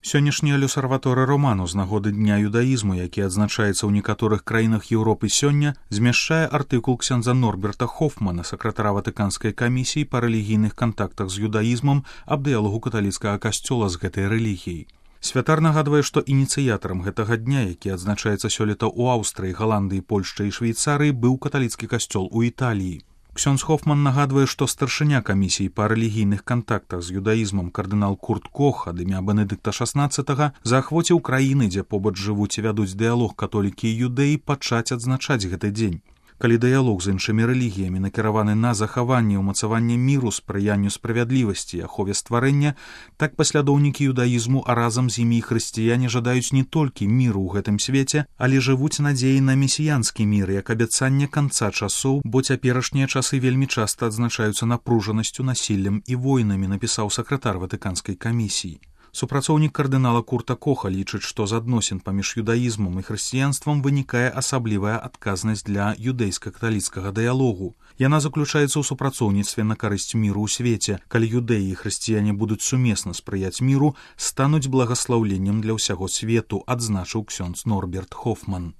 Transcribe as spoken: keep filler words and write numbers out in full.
Сённяшні люсарваторы роману з нагоды дня юдаізму, які адзначаецца ў некаторых краінах Еўропы сёння, змяшчае артыкул ксяндза Норберта Хофмана, сакратара Ватыканскай камісіі па рэлігійных кантактах з юдаізмам, аб дыялогу каталіцкага касцёла з гэтай рэлігіяй. Святар нагадвае, што ініцыятарам гэтага дня, які адзначаецца сёлета ў Аўстрыі, Галандыі, Польшчы і Швейцарыі, быў каталіцкі касцёл у Італіі. Ксёндз Хофман нагадвае, што старшыня камісіі па рэлігійных кантактах з юдаізмам кардынал Курт Кох ад імя Бенедыкта шаснаццатага заахвоціў краіны, дзе побач жывуць і вядуць дыялог католікі і юдэі, пачаць адзначаць гэты дзень. Калі дыялог з іншымі рэлігіямі накіраваны на захаванне і ўмацаванне міру, спрыянню справядлівасці і ахове стварэння, так паслядоўнікі юдаізму, а разам з імі і хрысціяне жадаюць не толькі міру ў гэтым свеце, але жывуць надзеі на месіянскі мір як абяцанне канца часоў, бо цяперашнія часы вельмі часта адзначаюцца напружанасцю, насіллем і войнамі, напісаў сакратар Ватыканскай камісіі. Супрацоўнік кардынала Курта Коха лічыць, што з адносін паміж юдаізмам і хрысціянствам вынікае асаблівая адказнасць для юдэйска-каталіцкага дыялогу. Яна заключаецца ў супрацоўніцтве на карысць міру ў свеце. Калі юдэі і хрысціяне будуць сумесна спрыяць міру, стануць благаслаўленнем для ўсяго свету, адзначыў ксёндз Норберт Хофман.